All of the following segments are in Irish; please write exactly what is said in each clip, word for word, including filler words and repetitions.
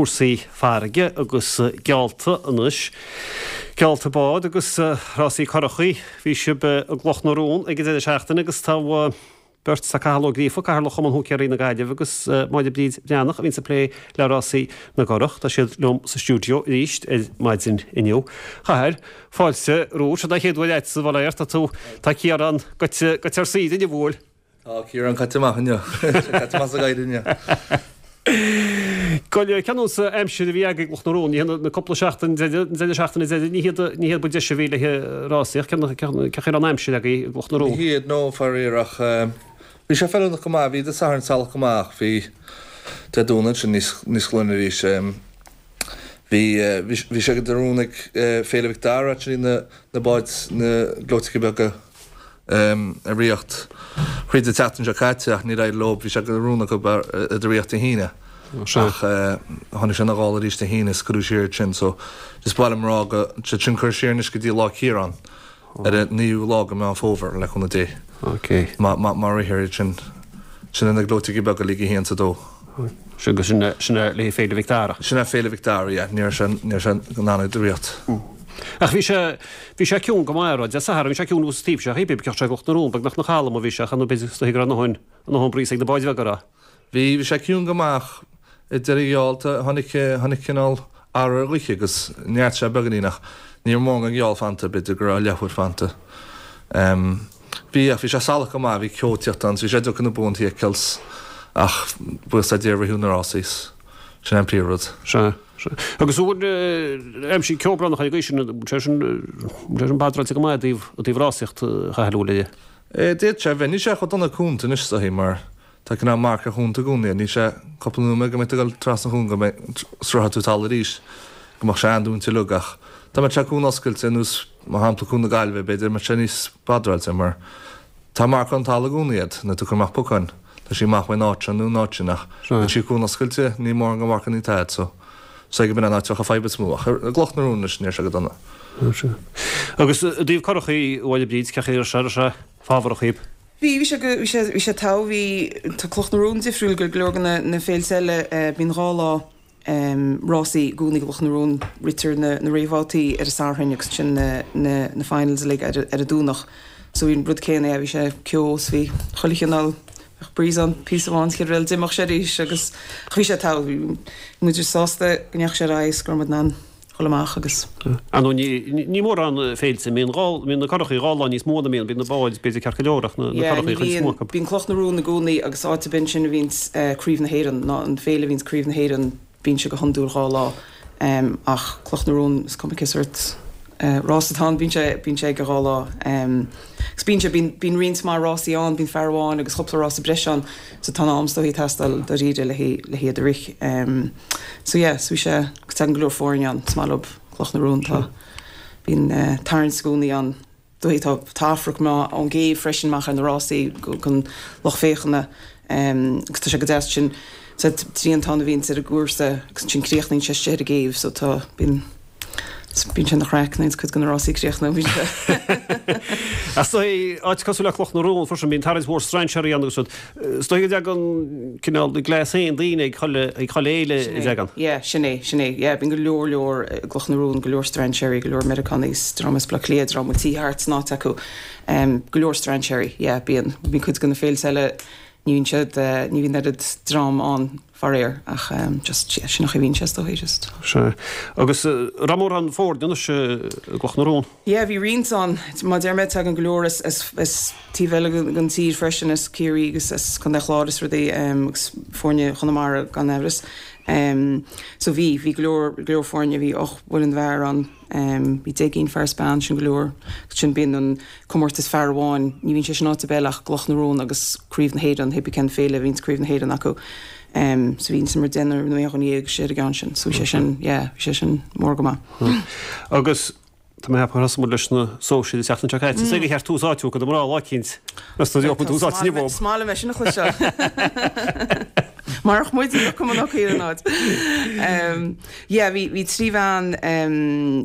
cúrsaí farraige agus geallta anois. Geallta bád agus rásaí curachaí. Bhí sibh i gCloch na Rón ag an deireadh seachtaine agus tá beirt sa Cathal Ó Gríofa, Cathaoirleach Chumann Húicéirí na Gaillimhe agus Máire Bríd Bhreathnach a bhíonns ag plé le rásaí na gcurach. Tá siad liom sa stiúideo arís ar maidin inniu. Chathail, fáilte romhat, seo an chéad uair agat sa bhaile tá tú tá Ciarán goite goite ar saoire inniu bhfuil. Tá Ciarán caite amach inniu. Caite amach sa ghaoth inniu. Goil ceanús aimsir a bhí agaibh i gCloch na Rón, ní hé na cúpla seachtain deireadh, an deireadh seachtaine deireadh, ní hiad ní hiad ba deise a bhí le rásaíocht, cén chaoi a raibh an aimsir agaibh i gCloch na Rón? Ní hiad, no, faraor, ach bhí sé feiliúnach go maith, bhí Dé Sathairn salach go maith ach bhí Dé Domhnaigh ansin níos níos glaine arís. Bhí bhí sé de rún ag Féile Mhic Dara actually na na báid na gleoiteacha beaga a ritheacht thríd an tseachtain seo caite ach níor éirigh leo, bhí sé de rún acu iad a ritheacht Dé hAoine ach tháinig sé ina ghála arís Dé hAoine is cuireadh siar iad sin so just ba mhaith liom a rá go siad sin curtha siar anois go dtí lá Ciarán ar an naoú lá de Meán Fómhair le cúnamh Dé má má rithfear iad sin. Sin na gleoiteacha beaga League a haon is a dó. Sin go sin sin le Féile Mhic Dara. Sin é Féile Mhic Dara, yeah. Ní raibh sé ní raibh sé in ann iad a ritheacht. Ach bhí sé bhí sé ciúin go maith, Dé Sathairn, bhí sé ciúin thuas taobh seo, bhí b'fhéidir sé i gCloch na Rón, beagnach na calm a bhí sé, chan b'fhéidir is dóigh go raibh a ndóthain a ndóthain breeze ag na báid bheaga a rá. Bhí bhí sé ciúin go maith ach i deireadh gheall tháinig tháinig cineál athrú ar ghaoth agus neart sé beagáinín ach ní raibh mórán den gheall fanta, b'fhéidir go raibh leathuair fanta. Bhí ach bhí sé salach go maith, bhí ceo ag tíocht ann, bhí sé deacair na buantaí a fheiceáil ach buíochas le Dia ritheadh na rásaí, sin an príomhrud. Sea, sea. Agus an bhfuil aimsir ceobhránach ar an gcaoi sin, an bhfuil sé sin, an bhfuil sé sin badráilte go maith i dtaobh, i dtaobh rásaíocht a Chathail an bhfuil aige? D'fhéadfadh sé a bheith. Níl sé chomh dona cuanta anois is dóichí mar tá cineál marc ar chuanta i gcónaí. Níl sé cúpla nóiméad go mbeidh tú ag dul trasna an chuain go mbeidh, sroichfidh tú talamh arís, go mbeadh sé an-dúinte uilig ach dá mbeadh sé cuan oscailte ar nós mar shampla Cuan na Gaillimhe b'fhéidir mbeadh sé níos badráilte mar tá marc ar an talamh i gcónaí agat nuair tú ag cur amach pocáin tá sí amach faoin áit seo nó an áit sin ach nuair sí cuan oscailte níl mórán de mharcanna a'd so so ag b'in an áit a bheadh an fadhb is mó ach i gCloch na Rón anois ní raibh sé go dona. Agus i dtaobh curachaí Bhaile Bríd cén chaoi a raibh sé raibh sé fábharach dhaoib? Bhí, bhí sé go, bhí sé, bhí sé togha, bhí, tá Cloch na Rón difriúil go go leor de na, na féilte eile, bíonn dhá lá rásaí i gcónaí i gCloch na Rón, ritear na na réamhbhabhtaí ar an Satharn agus ansin na na na finals uilig ar ar an Domhnach. So bhí an rud céanna, yeah, bhí sé ceo is bhí chuile chineál, bheadh breeze ann píosa amháin sa chéad rud eile d'imeodh sé arís agus ach bhí sé togha, bhí muid sásta go ndeachaigh sé ar aghaidh is go raibh muid in ann dhul amach agus. Ar ndóigh ní ní mórán féilte, mbíonn dhá, mbíonn na curachaí dhá lá níos mó ná mbíonn, bíonn na báid b'fhéidir ceart go leor ach na na Yeah, ní curachaí chuid is mó bhíonn, acu. bíonn Cloch na Rón i gcónaí agus áit ar bith ansin a bhíonns Craobh na hÉireann, ná an féile a bhíonns Craobh na Héireann, bíonn sé go hiondúil dhá lá ach Cloch na Rón is cuma cé sórt rás atá ann, bíonn sé, bíonn sé ag dhá lá. Agus bíonn sé, bíonn, bíonn roinnt mhaith rásaí ann, bíonn fear amháin agus cúpla rása breise ann so tá an am is dóichí ag teastáil dáiríre le le hiad a rith. So yeah, so bhí sé, agus tagann go leor foirne ann, is maith leo Cloch na Rón, tá, bíonn tarraingt i gcónaí ann. Dóichí tá tá Afraic maith ón gcéibh freisin amach ar na rásaí don lucht féachana agus tá sé go deas sin sa triantán a bhíonns ar an gcúrsa agus ansin críochnaíonn sé istigh ar an gcéibh so tá bíonn bíonn sé ina chraic nuair a cuid de na rásaí críochnú bíonn sé. Is dóigh áit cosúil le Cloch na Rón freisin bíonn tarraingt mhór strainséirí ann agus rud. Is dóigh go dtagann cineál na gléas féin daoine ag chuile ag chuile fhéile a dtagann. Yeah, sin é, sin é. Yeah, bíonn go leor leor i gCloch na Rón, go leor strainséirí, go leor Meiriceánaigh is dream as Baile Átha Cliath, dream a bhfuil tithe thart san áit acu. Um, go leor strainséirí, yeah, bíonn. Bíonn cuid de na féilte eile, ní bhíonn siad, eh, ní bhíonn oiread dream ann faraor, ach um, just, yeah, sin an chaoi a bhíonn sé is dóigh, just. Sea. Agus eh, raibh mórán foirne anois eh, i gCloch na Rón? Yeah, bhí roinnt ann. Mar a deir mé, tagann go leor as, as, as taobh eile den tír freisin, as Ciarraí agus as Contae an Chláir is rudaí, agus foirne Chonamara gan amhras. So bhí, bhí go leor, go leor foirne, bhí ocht bhfoireann bhfear ann, bhí deich gcinn fear is bean, sin go leor. Agus sin bíonn an comórtas fear amháin, ní bhíonn sé sin áit ar bith eile ach gCloch na Rón agus Craobh na hÉireann, hé bí cén féile a bhíonns Craobh na hÉireann acu. So bhí mar deichniúr nó aon dhuine dhéag istigh ar an gceann sin. So bhí sé sin, yeah, bhí sé sin mór go maith. Agus Tá mé ag ceapadh gur thosaigh muid leis na sóisir an tseachtain seo caite. Is é gur cheart tús áite a thabhairt do mná lá eicínt. Meas tú an dtiocfaidh tús áite inniu Is maith liom é sin a chloisteáil. Marach muid ní bheadh an fhocail in áit. Yeah, bhí bhí trí bhean,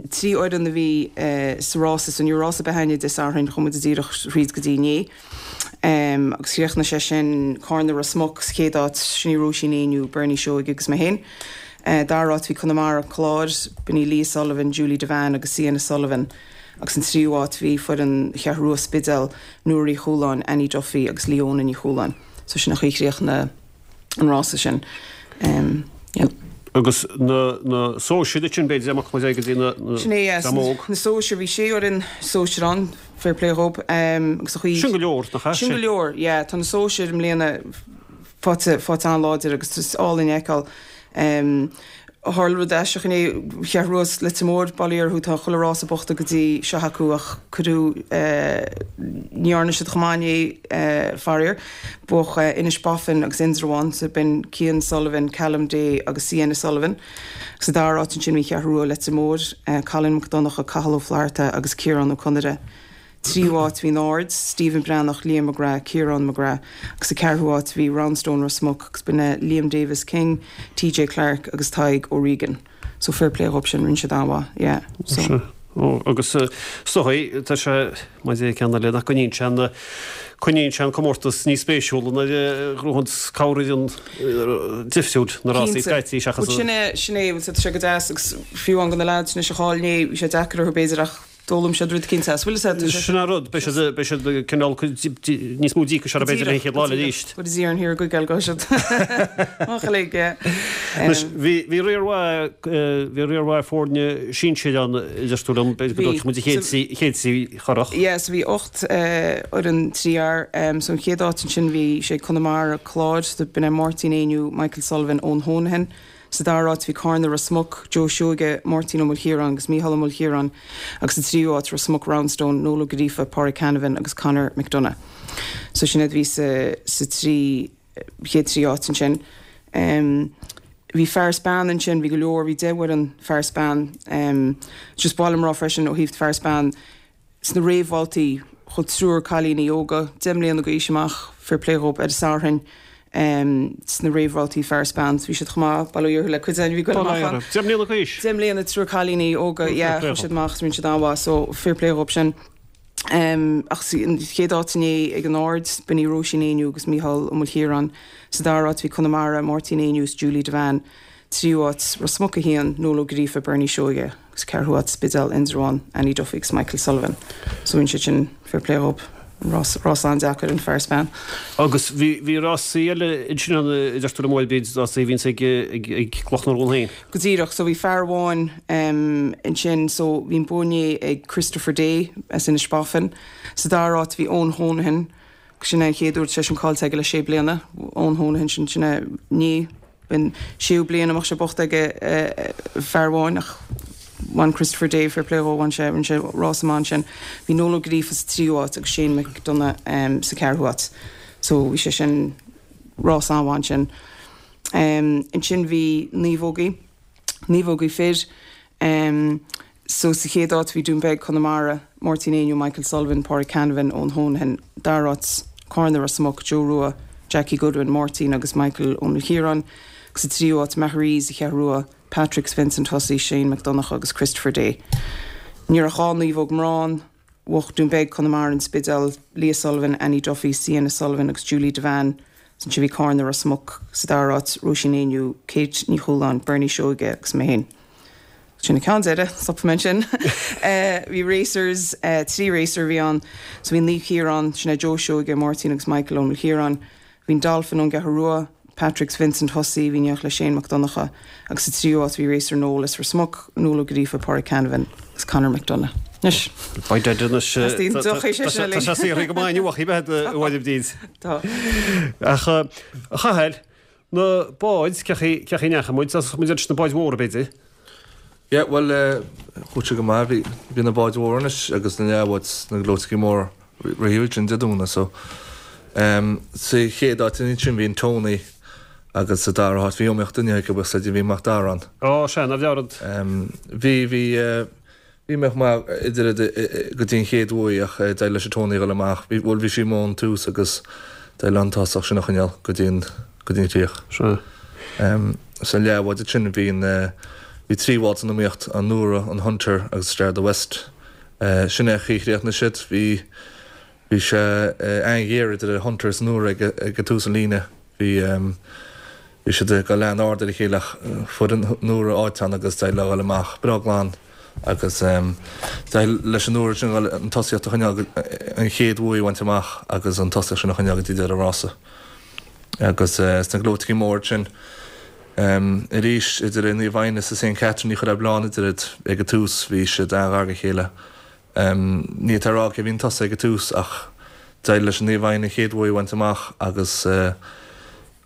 trí fhoireann a bhí sa rása, so ní raibh rás ar bith againne Dé Sathairn, chuaigh muid díreach thríd go dtí inné. Agus chríochnaigh sé sin Cárna Ros Muc sa chéad áit, sin í Róisín Éinniú, Bernie Seoighe agus mé féin. Dara háit bhí Conamara Clár, b'in í Leah Sullivan, Julie Devane agus Sienna Sullivan agus an tríú háit bhí foireann Cheathrú Rua Spidéal, Nóra Uí Chualáin, Annie Duffy agus Leona Ní Chualáin. So sin an chaoi a chríochnaigh an rása sin. Yeah. Agus na na sóisir sin b'fhéidir amach go dtí na Sin é, yes. Na sóisir bhí sé fhoireann sóisir ann, fair play dhób. Agus a chaoi. Sin go leor, nach ea? Sin go leor, yeah. Tá na sóisir i mbliana faighte faighte an-láidir agus is álainn a fheiceáil. Tharla rud aisteach inné, Cheathrú Rua is Leitir Móir, bail ó Dhia orthu, tá chuile rása buachta go dtí seo acu ach cuireadh, ní dhearna siad chomh maith inné, faraor. Bhuaigh Inis Boffin agus Indreabhán, so b'in Cian Sullivan, Callum Day agus Sienna Sullivan. Agus sa dara háit ansin bhí Cheathrú Rua, Leitir Móir, Colin Mac Donncha, Cathal Ó Flatharta agus Ciarán Ó Conaire. Tríú háit bhí an Aird, Stephen Breathnach, Liam McGrath, Ciarán McGrath agus sa ceathrú háit bhí Roundstone Ros Muc agus b'in é Liam Davis King, TJ Clarke agus Tadhg O'Regan. So fair play dhób sin, rinne siad an-mhaith, yeah. So. Ó, agus is dóigh, tá sé, mar é ceann eile, nach gcoinníonn sé an, coinníonn sé an comórtas níos spéisiúla nuair a ghnóthaíonn corrfhoireann difriúil na rásaí scaití seachas Sin é, sin é, tá sé go deas agus fiú amháin do na lads anois a chaill inné, bhí sé deacair orthu b'fhéidir ach D'fhoghlaim siad rud eicínt as. Bhfuil fhios a'd? Sin an rud, beidh siad, beidh siad cineál níos mó díocais orthu b'fhéidir an chéad lá eile arís. Go dtí an thiar go geal go siad. Amach uilig, yeah. Anois, bhí, bhí riar mhaith, bhí riar mhaith foirne sinsir ann, a deir tú liom, b'fhéidir go dtógfaidh muid an chéad trí, chéad trí churach. Yeah, so bhí ocht fhoireann trí fhear. So an chéad áit ansin bhí sé Conamara, Clár, so b'in é Máirtín Éinniú, Michael Sullivan, Eoin Honohan. Sa dara háit bhí Carna Ros Muc, Joe Seoige, Máirtín Ó Maoilchiaráin agus Mícheál Ó Maoilchiaráin agus sa tríú háit Ros Muc Roundstone, Noel Ó Gríofa, Pádraig Canavan agus Conor McDonagh. So sin iad a bhí sa sa trí chéad trí áit ansin. Bhí fear is bean ansin, bhí go leor, bhí deich bhfoireann fear is bean. Just ba mhaith liom a rá freisin ó thaobh fear is bean, Sna réamhbhabhtaí, ghabh triúr cailíní óga, deich mbliana d'aois amach, fair play dhób, ar an Satharn sna réamhbhabhtaí fear is bean. Bhí siad chomh maith, bail ó Dhia orthu le cuid againn a bhí ag goil amach ann. Deich mbliana d'aois? Deich mbliana, triúr cailíní óga, yeah, chuaigh siad amach, rinne siad an-mhaith, so fair play dhób sin. Ach an chéad áit inné ag an Aird, b'in í Róisín Éinniú agus Mícheál Ó Maoilchiaráin. Sa dara háit bhí Conamara, Máirtín Éinniú is Julie Devane. Tríú háit, Ros Muc a haon, Noel Ó Gríofa, Bernie Seoige, agus ceathrú háit, Spidéal, Indreabhán, Annie Duffy agus Michael Sullivan. So rinne siad sin, fair play dhób, rás, rás an-deacair an fear is bean. Agus bhí, bhí rásaí eile ansin ann a deir tú liom, b'fhéidir, rásaí a bhíonns ag, ag, ag Cloch na Rón féin. Go díreach, so bhí fear amháin ansin, so bhí an bua inné ag Christopher Day as Inis Boffin. Sa dara háit bhí Eoin Honohan, sin é an chéad uair tar éis an caillte aige le sé bliana, Eoin Honohan sin, sin é inné. B'in séú bliain a mbeadh sé buachta ag fear amháin ach bhain Christopher Day, fair play dhó, bhain sé, rinne sé rás maith ansin. Bhí Noel Ó Gríofa sa tríú háit agus Shane McDonagh sa ceathrú háit. So bhí sé sin rás an-mhaith ansin. Ansin bhí naomhógaí, naomhógaí fir. So sa chéad áit bhí Dún Beag, Conamara, Máirtín Éinniú, Michael Sullivan, Pádraig Canavan, Eoin Honohan, dara háit, Carna, Ros Muc, Joe Rua, Jackie Goodwin, Máirtín agus Michael Ó Maoilchiaráin, agus sa tríú háit, Maharees, Cheathrú Rua, Patrick Vincent Hussey, Shane Mac Donncha agus Christopher Day. Ní raibh ach dhá naomhóg mná ann, bhuaigh Dún Beag, Conamara, An Spidéal, Leah Sullivan, Annie Duffy, Sienna Sullivan agus Julie Devane, Ansin bhí Carna, Ros Muc, sa dara háit, Róisín Éinniú, Kate Ní Chualáin, Bernie Seoige agus mé féin. Sin an ceann deiridh, stopfaidh mé ansin. Bhí racers, trí racer a bhí ann. So bhí Naomh Ciarán, sin é Joe Seoige, Máirtín agus Michael Ó Maoilchiaráin. Bhí an Dolphin ón gCeathrú Rua, Patrick's Vincent Hussey, bhí in éineacht le Shane Mac Donncha agus sa tríú háit bhí Racer Noel as Ros Muc, Noel Ó Gríofa, Pádraig Canavan agus Conor McDonagh. Anois. Beidh dead anois. Teastaíonn deoch é sin Tá sé saothraithe go maith inniu ach í bheith i bhfad bhíd. Tá. Ach a Chathail, Na báid, cé chaoi a ndeachaigh muid? Thosaigh muid leis na báid mhóra, b'fhéidir? Yeah, bhuel, chuaigh sé go maith. Bhí, bhí na báid mhóra anois agus na leathbháid, na gleoiteachaí móra roimhe sin Dé Domhnaigh so. Em, sa chéad áit ansin bhí an Tony agus sa dara háit bhí iomaíocht inniu ag agus bhí Mac Dara ann. Ó, sea, ná bhearad. Em, bhí, bhí, eh, Bhí mé chomh maith idir go dtí an chéad bhuaidh ach d'éirigh leis an Tony a dhul amach. Bhí, bhuel bhí sí amuigh ón tús agus d'éirigh leo an tosach sin a choinneáil go dtí an, go dtí an chríoch. Sea. Sa leathbhád ansin bhí an, bhí trí bhád san iomaíocht, an Nora, an Hunter agus Star of the West. Sin é an chaoi a chríochnaigh siad. Bhí, bhí sé an-ghéar idir an Hunter is an Nora ag, ag tús an líne. Bhí, Bhí siad ag dul an-ard ar a chéile ach fuair an Nóra áit ann agus d'éirigh leo a dhul amach breá glan agus d'éirigh leis an Nóra sin an tosaíocht a choinneáil, an chéad bhuaidh a bhaint amach agus an tosaíocht sin a choinneáil go dtí deireadh an rása. Agus sna gleoiteachaí móra sin arís idir Naomh Agnes is Saint Catherine ní chuirfeá bleán idir iad ag an tús, bhí siad an-ghar dá chéile. Ní fhéadfá a rá cé bhí chun tosaigh ag an tús ach d'éirigh leis an Naomh Agnes an chéad bhuaidh a bhaint amach agus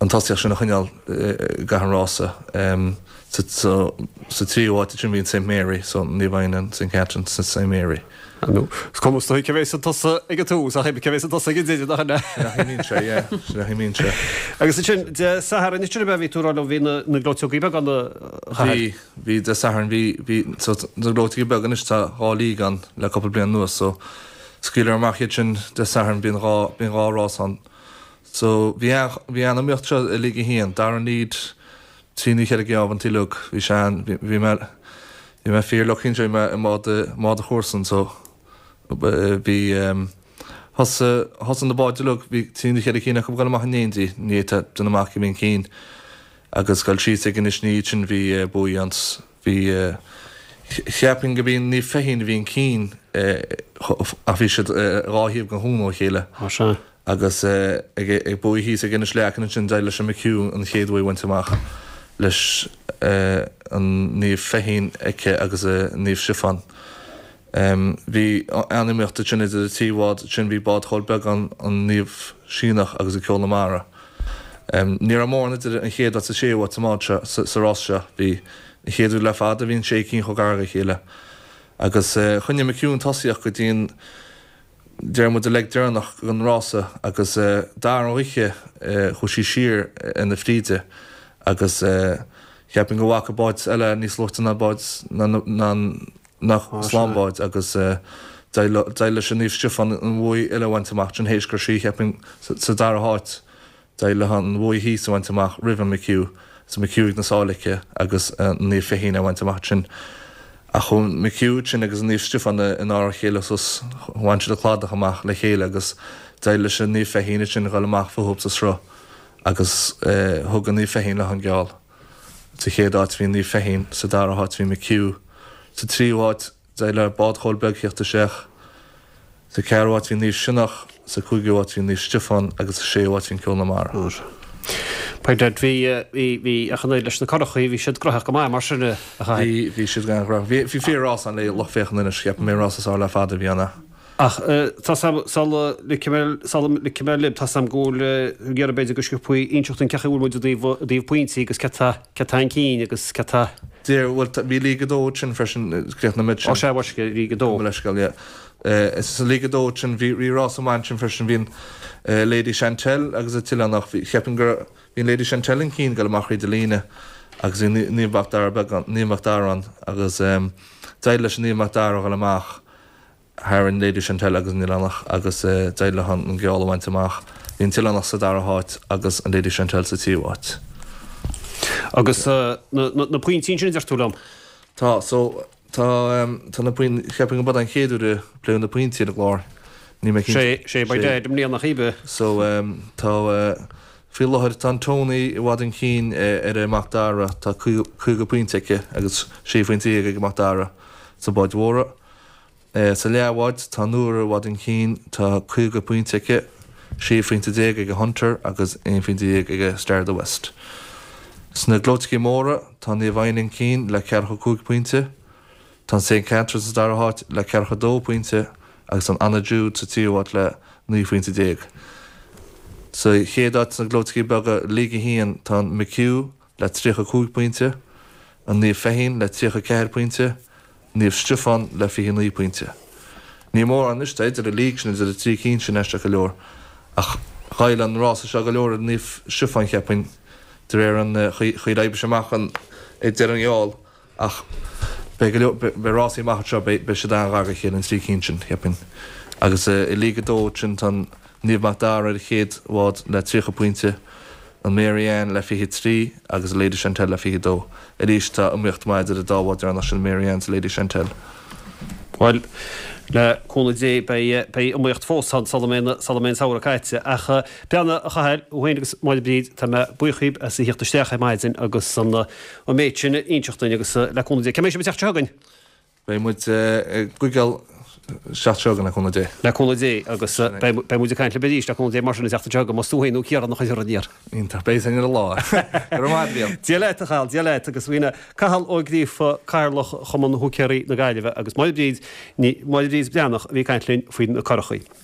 an tosaíocht sin a choinneáil i gcaitheamh an rása. Sa tríú háit ansin bhí an Saint Mary, so Naomh Agnes, Saint Catherine, Saint Mary. Is cuma is dóigh cé bheas chun tosaigh ag an tús ach cé bheas chun tosaigh ag an deireadh nach ea? Sin a imíonn sé, yeah. Sin a imíonn sé. Agus ansin, Dé Sathairn, ansin ab ea bhí tú ag rá liom, bhí na na gleoiteogaí beaga ann a Chathail? Bhí, bhí Dé Sathairn, bhí, bhí, so na gleoiteogaí beaga anois tá dhá league ann le cúpla bliain anuas so scaoileadh amach iad sin Dé Sathairn, bíonn dhá, bíonn dhá rás ann. So bhí an, bhí an iomaíocht seo i League a haon, Darren Lead, trí nó cheithre geábh an uileag, bhí sé an, bhí, bhí mé, bhí mé fíor lucky anseo, bhí mé i mbád, mbád a chomharsan so bhí, thosaigh, thosaigh na báid uilig, bhí trí nó cheithre cinn acu ag dul amach in éindí, ní fhéadfá déanamh amach cé bhí chun cinn agus goil síos ag Inis Ní sin bhí buaidh ann, bhí, cheapfainn go b'í Naomh Feichín a bhí chun cinn ach bhí siad dhá thaobh den chuan ó chéile. Á sea. Agus ag buaidh thíos ag Inis Leacain ansin d'éirigh leis an McHugh an chéad bhuaidh a bhaint amach leis an Naomh Feichín aici agus Naomh Stiofán. Bhí an-iomaíocht ansin idir an trí bhád sin, bhí bád Chóil Beagáin, an Naomh Síneach agus an Ceol na Mara. Ní raibh mórán idir an chéad áit is an séú háit sa mbád seo, sa rás seo. Bhí an chéad uair le fada a bhí an sé cinn chomh gar dá chéile. Agus choinnigh McHugh an tosaíocht go dtí an deir muid an leig deireanach den rása agus dar an oíche chuaigh sí siar ar na fríde agus cheapfainn go bhfaca báid eile níos luaite ná báid ná slánbháid agus d'éirigh leis an Naomh Stiofán an bhuaidh eile a bhaint amach sin théis go raibh sí cheapfainn sa dara háit. D'éirigh léi an bhuaidh thíos a bhaint amach roimh an McHugh, is an McHugh ag na sála aici agus an Naomh Feichín á bhaint amach ansin. Ach chuaigh an McHugh sin agus an Naomh Stiofán in ár a chéile suas, bhain siad an cladach amach le chéile agus d'éirigh leis an Naomh Feichín ansin a dhul amach fúthu sa sruth agus thug an Naomh Feichín léi an geall. Sa chéad áit bhí an Naomh Feichín, sa dara háit bhí McHugh, sa tríú háit d'éirigh le Bád Chóil Beag theacht isteach. Sa cheathrú háit bhí Naomh Sionnach, sa cúigiú háit bhí Naomh Stiofán agus sa séú háit bhí an Ceol na Mara. By dad, bhí, bhí, bhí, ach an oiread leis na curachaí, bhí siad graitheach go maith mar sin, a Chathail. Bhí, bhí siad an-ghnóthach. Bhí, bhí fíor-rás ann le lucht féachana anois, cheap mé an rás is fearr le fada a bhí ann. Ach tá 's a'm, sula ligfidh mé, sula ligfidh mé libh, tá 's a'm go bhfuil, ag iarraidh b'fhéidir go sciobthaí inseacht dúinn cén chaoi a bhfuil muid i dtaobh, i dtaobh pointí agus cé tá, cé tá chun cinn agus cé tá. Deir, bhuel, tá, bhí League a dó ansin freisin, críochnaigh muid sin. Ó sea, bhuel, League a dó. Mo leithscéal, yeah. Sa League a dó ansin, bhí, bhí rás amháin ansin freisin, bhí an Lady Chantelle agus an tOileánach, bhí, cheapfainn gur, bhí an Lady Chantelle chun cinn ag dul amach thríd an líne agus bhí Naomh Mac Dara beag ann, Naomh Mac Dara ann agus d'éirigh leis an Naomh Mac Dara a dhul amach. thar an Lady Chantelle agus an Oileánach agus d'éirigh leo an geall a bhaint amach. Bhí an tOileánach sa dara háit agus an Lady Chantelle sa tríú háit. Agus na pointí ansin a deir tú liom? Tá, so, tá, tá na pointí, cheapfainn go mb'é an chéad uair a pléadh na pointí ar an gclár. Níl mé cinnte. Sé, sé by dad i mbliana cibé. So, tá, faoi láthair tá an Tony i bhfad chun cinn ar an Mac Dara, tá caoga pointe aici agus sé phointe dhéag ag an Mac Dara sna báid mhóra. Sa leathbhád, tá Nóra i bhfad chun cinn, tá caoga pointe aici, sé phointe déag ag Hunter agus aon phointe déag ag Star of the West. Sna gleoiteachaí móra, tá Naomh Adhna chun cinn le ceathracha cúig pointe, tá an Saint Catherine sa dara háit le ceathracha dó pointe agus an Anna Jude sa tríú háit le naoi phointe déag. Sa chéad áit sna gleoiteachaí beaga, League a haon, tá an McHugh le tríocha cúig pointe, an Naomh Feichín le tríocha ceathair pointe, Naomh Stiofán le fiche naoi pointe. Ní mórán anois tá idir an league sin, idir an trí cinn sin aisteach go leor. Ach ghoill an rása seo go leor ar Naomh Stiofán cheapfainn, de réir an chaoi ar oibrigh sé amach an ag deireadh an gheall. Ach beidh go leor, beidh rásaí amach anseo, beidh siad an-ghar dá chéile, an trí cinn sin, cheapfainn. Agus i League a dó sin tá an Naomh Mac Dara ar an chéad bhád le tríocha pointe, an Mary Ann le fiche trí agus an Lady Chantelle le fiche dó. Arís tá iomaíocht maith idir an dá bhád deireanach sin, Mary Ann 's Lady Chantelle. Bhuel, le cúnamh Dé beidh beidh iomaíocht fós ann sula mbeidh sula mbeidh an samhradh caite. Ach Breandán, a Chathail, thú féin agus Máire Bríd, tá mé buíoch dhíbh as a thíocht isteach ar maidin agus an an méid sin a inseacht dúinn agus le cúnamh Dé, cá mbeidh sibh an tseachtain seo chugainn? Beidh muid i gCuigéal an tseachtain seo chugainn le cúnamh Dé. Le cúnamh Dé agus beidh muid ag caint libh arís le cúnamh Dé mar sin an tseachtain seo chugainn, más tú féin nó Ciarán a chuirfear aniar. Iontach, beidh san ar an lá. Go raibh maith agat, a Mhíl. Dia leat, a Chathail, Dia leat agus b'in Cathal Ó Gríofa, Cathaoirleach Chumann Húicéirí na Gaillimhe agus Máire Bríd, Máire Bríd Breathnach a bhí ag caint linn faoi na curachaí.